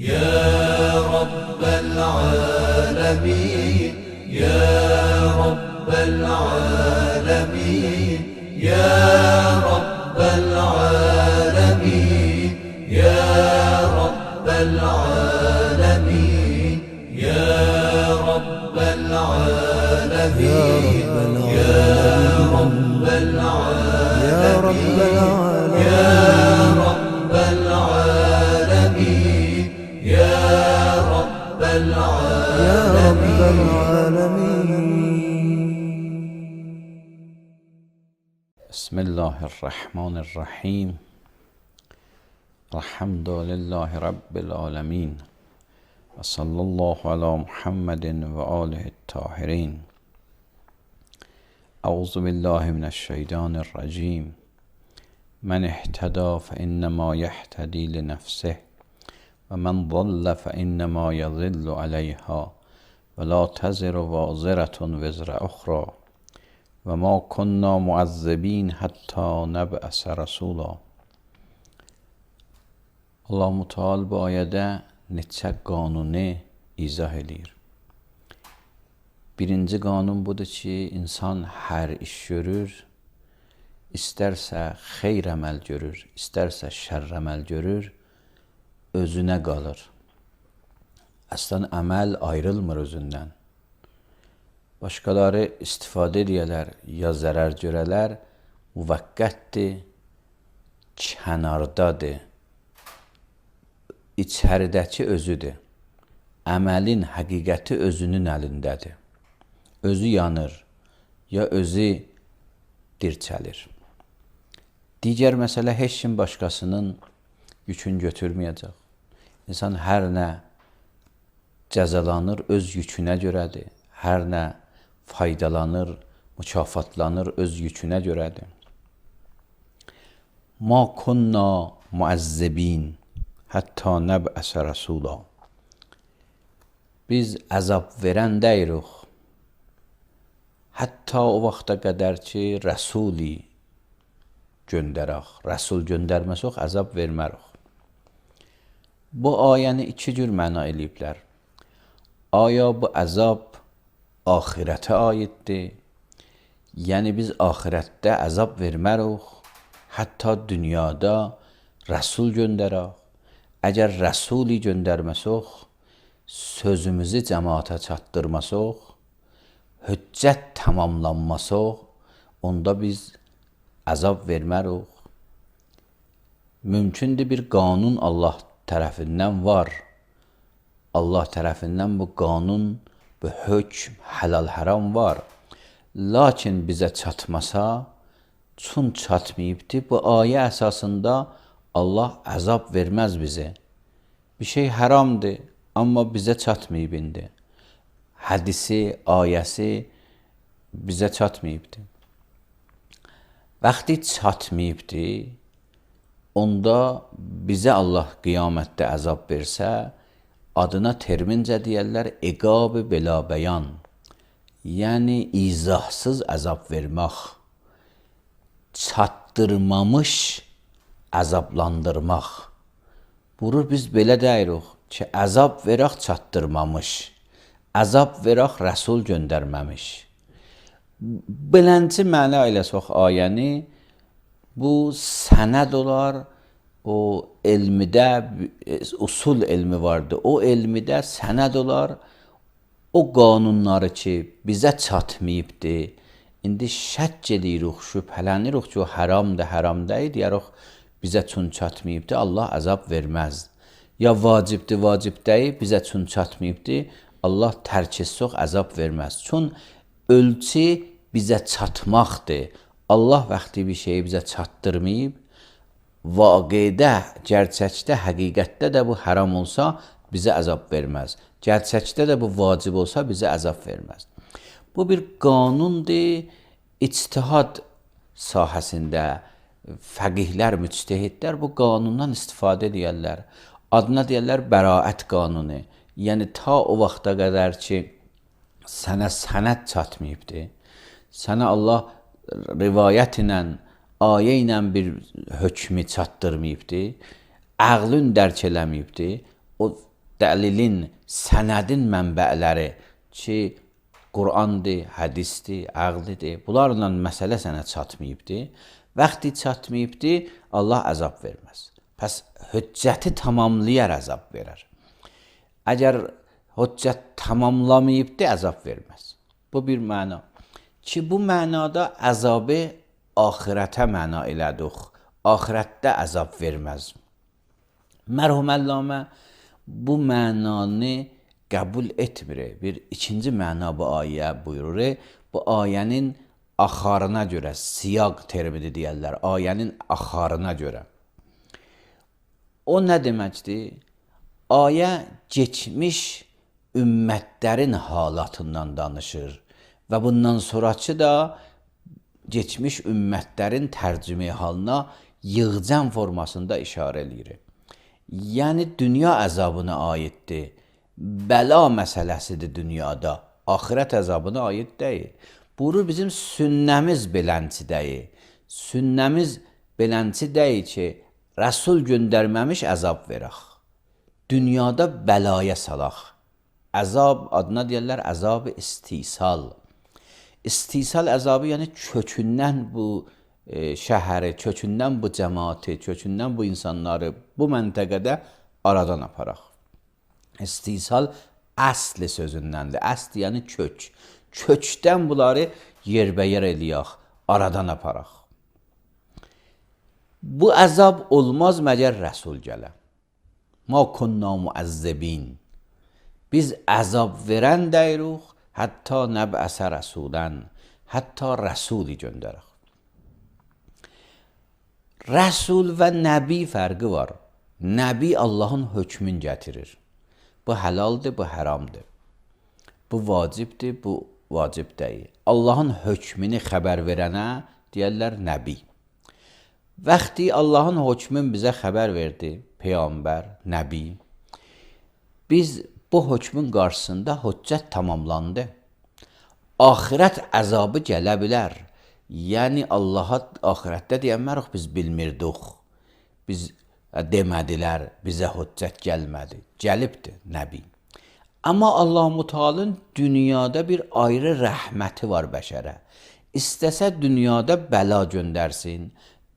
يا رب العالمين يا رب العالمين يا رب العالمين يا رب العالمين يا رب العالمين يا رب العالمين يا رب العالمين يا رب العالمين. بسم الله الرحمن الرحیم. الحمد لله رب العالمین و صلی الله علی محمد و آله الطاهرین. اعوذ بالله من الشیطان الرجیم. من اهتدى فانما یهتدی لنفسه و من ضل فانما یضل علیها ولا تزر وازرة وزر اخرى و ما كنا معذبین حتی نبعث رسولا. Allah-u Teala bu ayədə neçə qanunu izah edir. Birinci qanun budur ki, insan hər iş görür, istərsə xeyr əməl görür, istərsə şərr əməl görür, özünə qalır. Əslən əməl ayrılmır özündən. Başqaları istifadə edərlər, ya zərər görələr, müvəqqətdir, kənardadır. İçəridəki özüdür. Əməlin həqiqəti özünün əlindədir. Özü yanır, ya özü dirçəlir. Digər məsələ, heç kim başqasının yükünü götürməyəcək. İnsan hər nə cəzalanır, öz yükünə görədir. Hər nə faydalanır, mükafatlanır, öz yükünə görədir. Ma kunna muəzzibin hətta nəb'əsə rəsula. Biz əzab verən deyirik, hətta o vaxta qədər ki, rəsuli göndərək. Rəsul göndərməsək, əzab vermərik. Bu ayəni iki cür məna eləyiblər. Aya bu əzab axirətə aiddir. Yəni biz axirətdə əzab vermərik, hətta dünyada rəsul göndərək. Əgər rəsuli göndərməsək, sözümüzü cəmaata çatdırmasaq, hüccət tamamlanmasaq, onda biz əzab vermərik. Mümkündür bir qanun Allah tərəfindən var. Allah tərəfindən bu qanun, bu hökm, həlal haram var. Lakin bizə çatmasa, çün çatmayıbdır. Bu ayə əsasında Allah əzab verməz bizə. Bir şey haramdır, amma bizə çatmayıb indi. Hədisi, ayəsi bizə çatmayıbdır. Vaxtı çatmayıbdır, onda bizə Allah qiyamətdə əzab versə, adına termincə deyərlər, iqab-ı belə bəyan. Yəni, izahsız əzab vermək, çatdırmamış əzablandırmaq. Burur biz belə deyirik ki, əzab verək çatdırmamış, əzab verək rəsul göndərməmiş. Bilənci mənə eləsək ayəni, bu sənəd olar, o elmidə, usul elmi vardır, o elmidə sənəd olar, o qanunları ki, bizə çatmayıbdır, indi şəkk edirik, şübhələnirik ki, o haramdır, haram deyil, deyərik, bizə çün çatmayıbdır, Allah əzab verməz. Ya vacibdir, vacib deyil, bizə çün çatmayıbdır, Allah tərk etsək əzab verməz. Çün ölçü bizə çatmaqdır. Allah vaxtı bir şeyi bizə çatdırmayıb, vaqidə, gerçəkdə, həqiqətdə də bu haram olsa, bizə əzab verməz. Gerçəkdə də bu vacib olsa, bizə əzab verməz. Bu bir qanundur, ictihad sahəsində, fəqihlər, müctehidlər bu qanundan istifadə edərlər. Adına deyərlər bəraət qanunu. Yəni, ta o vaxta qədər ki, sənə sənəd çatmayıbdır, sənə Allah rivayət ilə, ayə ilə bir hökmü çatdırmayıbdır, əqlün dərk eləməyibdir, o dəlilin, sənədin mənbələri ki, Qur'andır, hədisdir, əqlidir, bunlarla məsələ sənə çatmayıbdır. Vaxtı çatmayıbdır, Allah əzab verməz. Pəs hüccəti tamamlayar əzab verər. Əgər hüccət tamamlamayıbdır, əzab verməz. Bu bir məna. Ki bu mənada əzabı axirətə məna elədik. Axirətdə əzab verməz. Mərhum Əllamə bu mənanı qəbul etmir. Bir ikinci məna bu ayə buyurur. Bu ayənin axarına görə, siyaq termini deyərlər, ayənin axarına görə. O nə deməkdir? Ayə keçmiş ümmətlərin halatından danışır və bundan sonrakı da geçmiş ümmətlərin tərcümə halına yığcam formasında işarə eləyir. Yəni dünya əzabına aiddir. Bəla məsələsidir dünyada. Axirət əzabına aid deyil. Buyurur bizim sünnəmiz belənçi deyil. Sünnəmiz belənçi deyil ki, Rəsul göndərməmiş əzab verək. Dünyada bəlaya salaq. Əzab adına deyirlər əzab istisal. İstisal əzabı yəni kökündən bu şəhəri, kökündən bu cəmaati, kökündən bu insanları bu məntəqədə aradan aparaq. İstisal əsli sözündəndir. Əsli yəni kök. Kökdən bunları yerbəyer eləyək, aradan aparaq. Bu əzab olmaz məgər Rəsul gələ. Ma kunna muəzzibin. Biz əzab verən deyirik, hətta nəbəsə rəsulən, hətta rəsuli göndərək. Rəsul və nəbi fərqi var. Nəbi Allahın hökmün gətirir. Bu həlaldır, bu haramdır. Bu vacibdir, bu vacib deyil. Allahın hökmünü xəbər verənə deyərlər nəbi. Vaxtı Allahın hökmün bizə xəbər verdi, peyğəmbər, nəbi. Biz bu hökmün qarşısında hüccət tamamlandı. Axirət əzabı gələ bilər. Yəni Allaha axirətdə deyənmərik biz bilmirdik. Biz demədilər, bizə hüccət gəlmədi. Gəlibdir nəbi. Amma Allah-u Teala'nın dünyada bir ayrı rəhməti var bəşərə. İstəsə dünyada bəla göndərsin,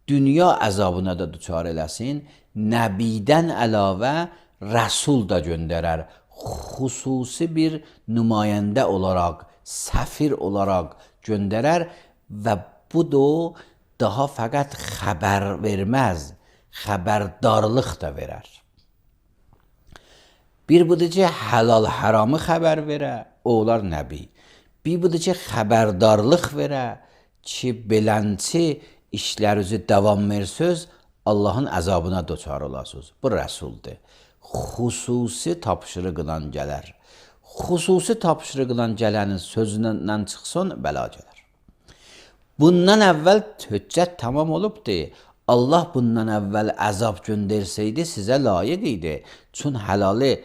dünya əzabına da düçar eləsin, nəbidən əlavə rəsul da göndərər. Xüsusi bir nümayəndə olaraq, səfir olaraq göndərər və bu da daha fəqət xəbər verməz, xəbərdarlıq da verər. Bir budur ki, halal haramı xəbər verə, o olar nəbi. Bir budur ki, xəbərdarlıq verə ki, belənçi işlərinizi davam versöz, Allahın əzabına düçar olasınız. Bu rəsuldur. Xüsusi tapşırıqla gələr. Xüsusi tapşırıqla gələnin sözündən çıxsın, bəla gələr. Bundan əvvəl hüccət tamam olubdur. Allah bundan əvvəl əzab göndərsəydi sizə layiq idi. Çün halalı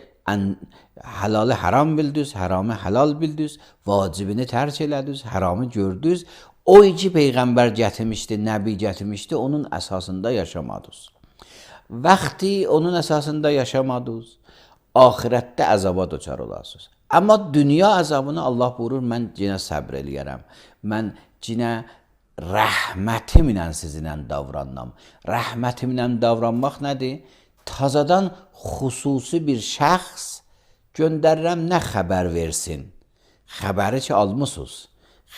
haram bildiniz, haramı halal bildiniz, vacibini tərk elədiniz, haramı gördünüz. O iki peyğəmbər gətirmişdi, nəbi gətirmişdi, onun əsasında yaşamadınız. Vaxtı onun əsasında yaşamadınız, axirətdə əzaba düçar olasınız. Amma dünya əzabını Allah buyurur, mən yenə səbr eləyərəm. Mən yenə rəhmətimlə sizinlə davranmam. Rəhmətimlə davranmaq nədir? Tazadan xüsusi bir şəxs göndərirəm, nə xəbər versin? Xəbəri ki almısınız,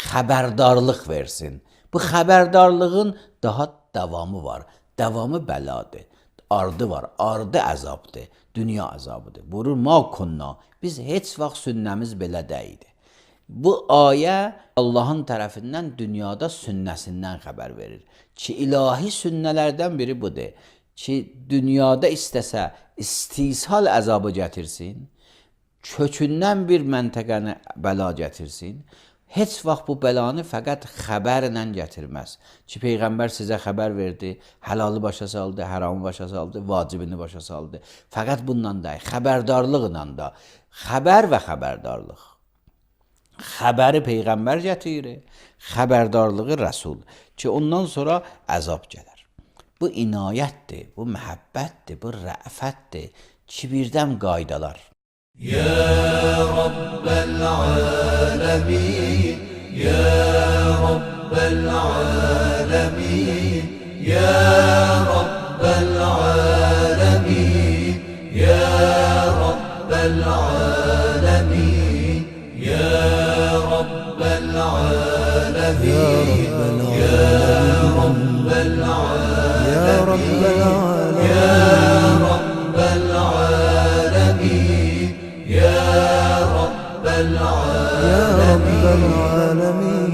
xəbərdarlıq versin. Bu xəbərdarlığın daha davamı var. Davamı bəladır. Ardı var, ardı əzabdır. Dünya əzabıdır. Buyurur, ma kunna. Biz heç vaxt sünnəmiz belə deyildi. Bu ayə Allahın tərəfindən dünyada sünnəsindən xəbər verir. Ki, ilahi sünnələrdən biri budur. Ki, dünyada istəsə istisal əzabı gətirsin, kökündən bir məntəqəni bəla gətirsin, heç vaxt bu bəlanı fəqət xəbərlə gətirməz. Ki, Peyğəmbər sizə xəbər verdi, halalı başa saldı, haramı başa saldı, vacibini başa saldı. Fəqət bundan da, xəbərdarlıqla da. Xəbər və xəbərdarlıq. Xəbəri Peyğəmbər gətirir, xəbərdarlığı Rəsul. Ki, ondan sonra əzab gələr. Bu inayətdir, bu məhəbbətdir, bu rəfətdir. kibirdən qaydalar. يا رب العالمين يا رب العالمين يا رب العالمين يا رب العالمين يا رب العالمين يا رب العالمين يا رب العالمين يا رب العالمين يا رب يا العالمين رب العالمين.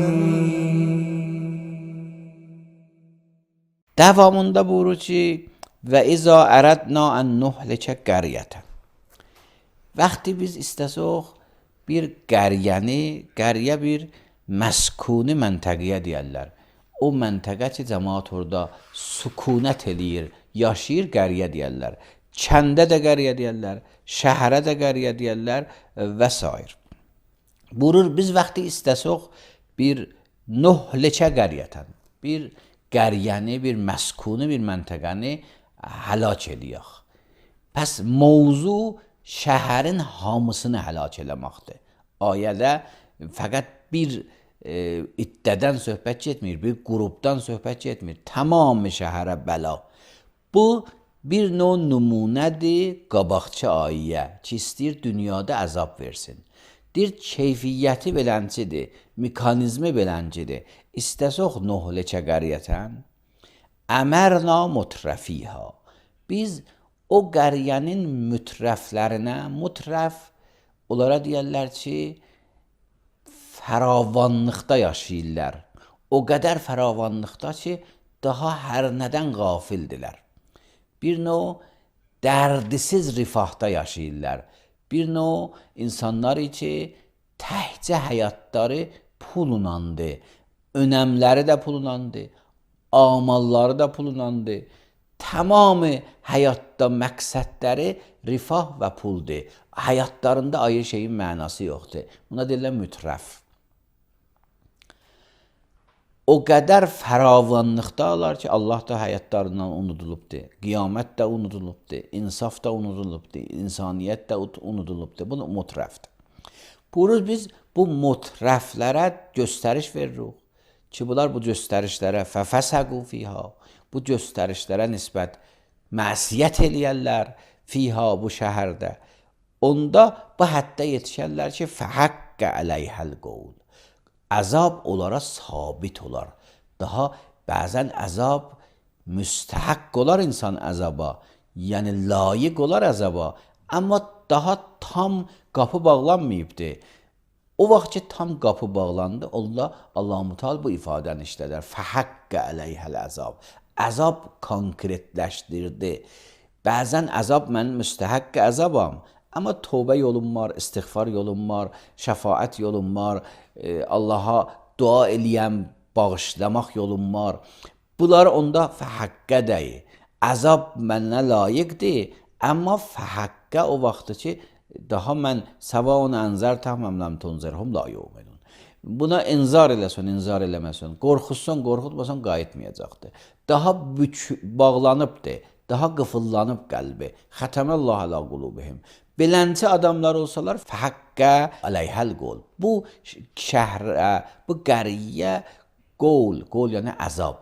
Davamında buyurur ki və izə ərədna ən nuhlikə qəriyyətən. Vəqti biz istəsək bir qəriyə bir məskuni məntəqəyə deyərlər. O məntəqə ki, cəmaat orada sükunət eləyir, yaşayır, qəriyə deyərlər. Kəndə də qəriyə deyərlər, şəhərə də qəriyə deyərlər və s. Buyurur, biz vəqti istəsək bir nuhlikə qəriyyətən, bir qəriyyəni, bir məskuni bir məntəqəni həlak eləyək. Pəs mövzu şəhərin hamısını həlak eləməkdir. Ayədə fəqət bir iddədən söhbət getmir, bir qrupdan söhbət getmir. Tamamı şəhərə bəla. Bu bir növ nümunədir qabaqçı ayə ki, istəyir dünyada əzab versin. Dir keyfiyyəti beləncidir, mekanizmi beləncidir. İstəsək nuhlikə qəriyyətən, əmərna mutrəfiha. Biz o qəriyyənin mütrəflərinə, mütrəf onlara deyərlər ki, fəravanlıqda yaşayırlar. O qədər fəravanlıqda ki, daha hər nədən qafildilər. Bir növ dərdisiz rifahda yaşayırlar. Bir növ insanlar ki, təhcə həyatları pulunandı, önəmləri də pulunandı, amalları da pulunandı. Tamamı həyatda məqsədləri rifah və puldur. Həyatlarında ayrı şeyin mənası yoxdur. Buna deyirlər mütrəf. O qədər fəravanlıqdalar ki, Allah da həyatlarından unudulubdur. Qiyamət də unudulubdur. İnsaf da unudulubdur. İnsaniyyət də unudulubdur. Bu mütrəfdir. Buyuruz, biz bu mütrəflərə göstəriş veririk ki, bunlar bu göstərişlərə fəfəsəqu fiha, bu göstərişlərə nisbət məsiyət eləyərlər fiha bu şəhərdə. Onda bu həddə yetişərlər ki, fəhəqqə əleyhəl qovul. Əzab onlara sabit olar. Daha bəzən əzab müstəhəq olar insan əzaba. Yəni layiq olar əzaba. Amma daha tam qapı bağlanmayıbdır. O vaxt ki, tam qapı bağlandı, Allah-u Teala bu ifadəni işlədər. Fəhəqqə əleyhəl əzab. Əzab konkretləşdirdi. Bəzən əzab mən müstəhəq əzabam. Amma tövbə yolum var, istiğfar yolum var, şəfaət yolum var, Allaha dua eləyəm, bağışlamaq yolum var. Bunlar onda fəhəqqə deyil. Əzab mənə layiqdir, amma fəhəqqə o vaxtı ki, daha mən səvaun ənzərtəhəm əmləm tunzirhum la yu'minun. Buna inzar eləsən, inzar eləməsən, qorxutsan, qorxutmasan qayıtmayacaqdır. Daha bağlanıbdır, daha qıfıllanıb qəlbi. Xətəməllah ələ qulubihim. Belənçi adamlar olsalar, fəhəqqə əleyhəl qol. Bu şəhrə, bu qəriyə qol yəni əzab.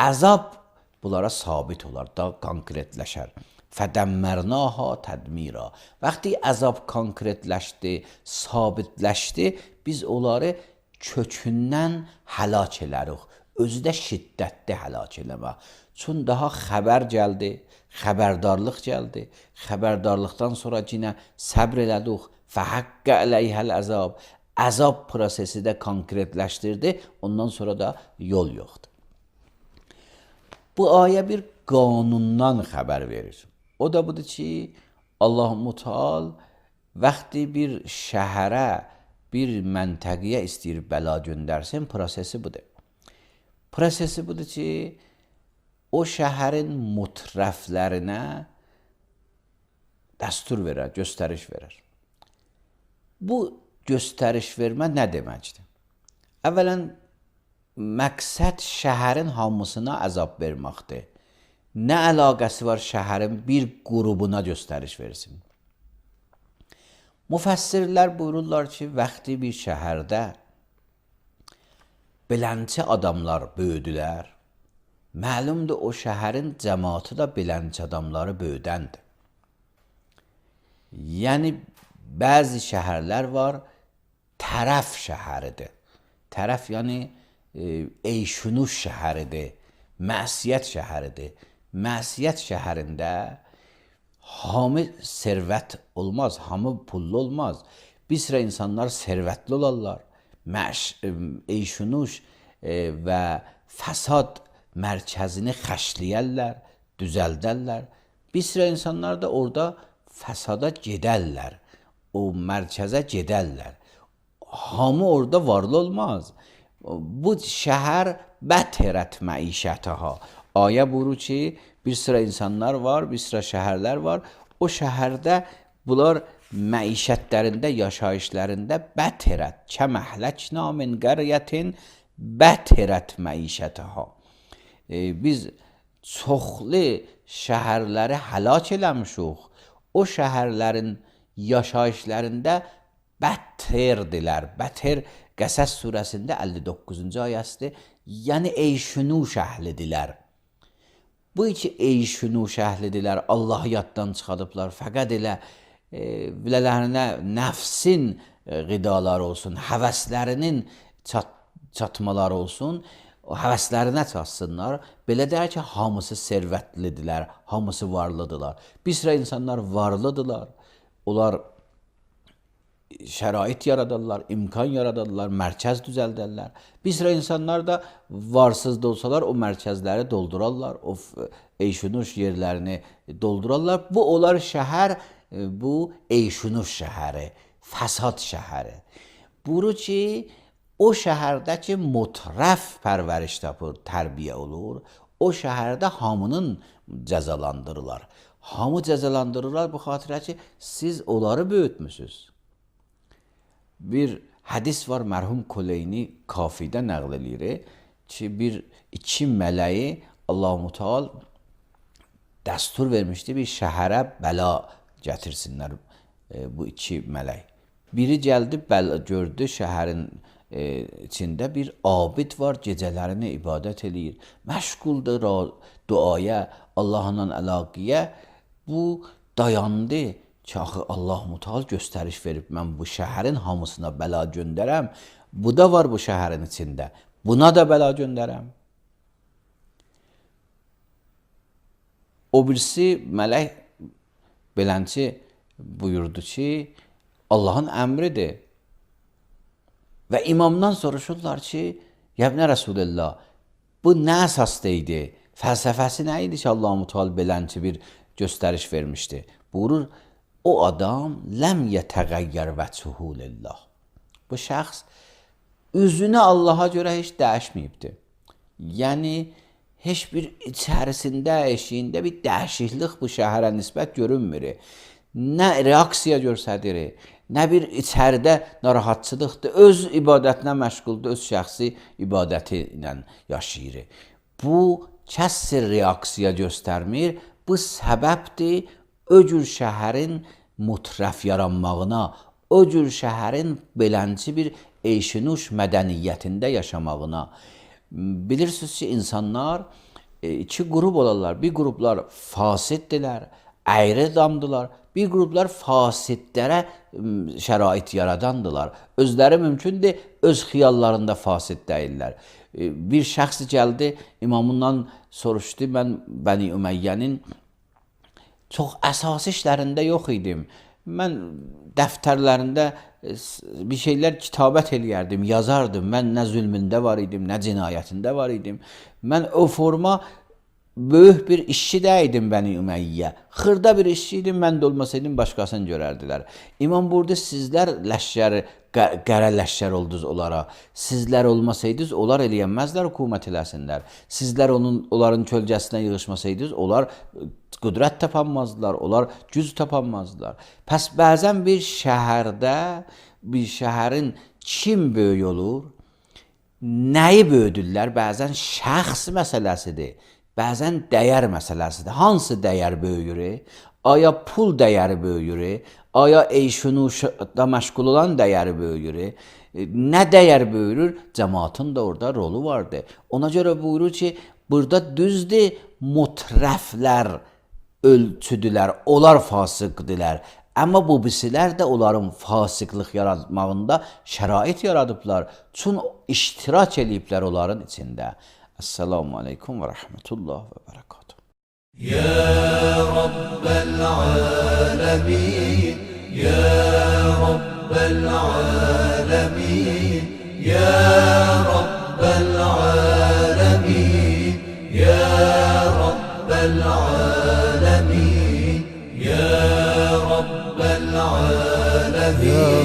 Əzab bunlara sabit olar, daha konkretləşər. Fədəmmərnaha tədmira. Vaxtı əzab konkretləşdi, sabitləşdi, biz onları kökündən həlak elərik. Özü də şiddətli həlak eləmə. Çün daha xəbər gəldi, xəbərdarlıq gəldi. Xəbərdarlıqdan sonra yenə səbr elədik. Fəhəqqə əleyhəl əzab. Əzab prosesi də konkretləşdirdi. Ondan sonra da yol yoxdur. Bu ayə bir qanundan xəbər verir. O da budur ki, Allah-u Teala vaxtı bir şəhərə, bir məntəqəyə istəyir bəla göndərsin, prosesi budur. Prosesi budur ki, o şəhərin mütrəflərinə dəstur verər, göstəriş verər. Bu göstəriş vermə nə deməkdir? Əvvələn, məqsəd şəhərin hamısına əzab verməkdir. nə əlaqəsi var şəhərin bir qrupuna göstəriş versin? Müfəssirlər buyururlar ki, vaxtı bir şəhərdə beləncə adamlar böyüdülər. Məlumdur, o şəhərin cəmaatı da beləncə adamları böyüdəndir. Yəni, bəzi şəhərlər var, tərəf şəhəridir. Tərəf, yəni, eyşunuş şəhəridir, məsiyyət şəhəridir. Məsiyyət şəhərində hamı servət olmaz, hamı pullu olmaz. Bir sıra insanlar servətli olarlar. Eyşunuş və fəsad mərkəzini xəşləyərlər, düzəldərlər. Bir sıra insanlar da orada fəsada gedərlər, o mərkəzə gedərlər. Hamı orada varlı olmaz. Bu şəhər bətərət məişətəha. Ayə buyurur ki, bir sıra insanlar var, bir sıra şəhərlər var. O şəhərdə bunlar məişətlərində, yaşayışlarında bətərət, kəməhləkna min qəryətin bətərət məişətəha. Biz çoxlu şəhərləri həlak eləmişik. O şəhərlərin yaşayışlarında bətərdilər. Bətər Qəsəs surəsində 59-cu ayəsidir. Yəni eyşunuş əhlidirlər. Bu iki eyşunuş əhlidirlər. Allahı yaddan çıxadıblar. Fəqət elə bilələrinə nəfsin qidaları olsun, həvəslərinin çatmaları olsun, o həvəslərinə çatsınlar. Belə deyər ki, hamısı servətlidirlər, hamısı varlıdırlar. Bir sıra insanlar varlıdırlar. Onlar şərait yaradarlar, imkan yaradarlar, mərkəz düzəldərlər. Bir sıra insanlar da varsız da olsalar o mərkəzləri doldurarlar, o eyşunuş yerlərini doldurarlar. Bu onlar şəhər, bu eyşunuş şəhəri, fəsad şəhəri. Buyurur ki, o şəhərdəki mutrəf pərvəriş tapır, tərbiyə olur. O şəhərdə hamının cəzalandırırlar. Hamı cəzalandırırlar bu xatirə ki, siz onları böyütmüsünüz. Bir hədis var, mərhum Kuleyni Kafidə nəql edir ki, iki mələyi Allah-u Teala dəstur vermişdi, bir şəhərə bəla gətirsinlər bu iki mələk. Biri gəldi, gördü şəhərin içində bir abid var, gecələrini ibadət edir, məşğuldur duaya, Allahla əlaqəyə. Bu dayandı ki, axı Allah-u Teala göstəriş verib, mən bu şəhərin hamısına bəla göndərəm, bu da var bu şəhərin içində, buna da bəla göndərəm. O birisi mələk belənçi buyurdu ki, Allahın əmridir. Və imamdan soruşurlar ki, Yəbnə Rəsulullah, bu nə əsasda idi? Fəlsəfəsi nə idi ki, Allah-u Teala belənçi bir göstəriş vermişdi? Buyurur, o adam ləm yətəğəyyər vəchuhu lillah. Bu şəxs üzünü Allaha görə heç dəyişməyibdir. Yəni, heç bir içərisində, eşiyində bir dəyişiklik bu şəhərə nisbət görünmür. Nə reaksiya göstərir, nə bir içəridə narahatçılıqdır, öz ibadətinə məşğuldur, öz şəxsi ibadəti ilə yaşayır. Bu kəsr reaksiya göstərmir, bu səbəbdir o cür şəhərin mutrəf yaranmağına, o cür şəhərin belənci bir eyşinuş mədəniyyətində yaşamağına. Bilirsiniz ki, insanlar iki qrup olarlar. Bir qruplar fasiddirlər, əyri damdılar. Bir qruplar fasidlərə şərait yaradandılar. Özləri mümkündür, öz xiyallarında fasid deyirlər. Bir şəxs gəldi, imamından soruşdu, mən Bəni Üməyyənin çox əsası işlərində yox idim. Mən dəftərlərində bir şeylər kitabət eləyərdim, yazardım. Mən nə zülmündə var idim, nə cinayətində var idim. Mən o forma böyük bir işçi deyildim Bəni Üməyyə. Xırda bir işçi idim, mən də olmasaydım başqasını görərdilər. İmam burada sizlər ləşkər, qərə ləşkər oldunuz onlara. Sizlər olmasaydınız, onlar eləyənməzlər, hökumət eləsinlər. Sizlər onların kölgəsinə yığışmasaydınız, onlar qüdrət tapanmazdılar, onlar güc tapanmazdılar. Pəs bəzən bir şəhərdə, bir şəhərin kim böyük olur, nəyi böyüdürlər? Bəzən şəxs məsələsidir. bəzən dəyər məsələsidir. Hansı dəyər böyüyür? Aya pul dəyəri böyüyür? Aya eyşunuşda məşğul olan dəyəri böyüyür? Nə dəyər böyürür? Cəmaatın da orada rolu vardır. Ona görə buyurur ki, burada düzdür, mutrəflər ölçüdülər, onlar fasıqdilər. Amma bu birisilər də onların fasıqlıq yaratmağında şərait yaradıblar. Çün iştirak eləyiblər onların içində. Esselamu aleykum və rəhmətullah və bərəkatuhu. يا رب العالمين يا رب العالمين يا رب العالمين يا رب العالمين يا رب العالمين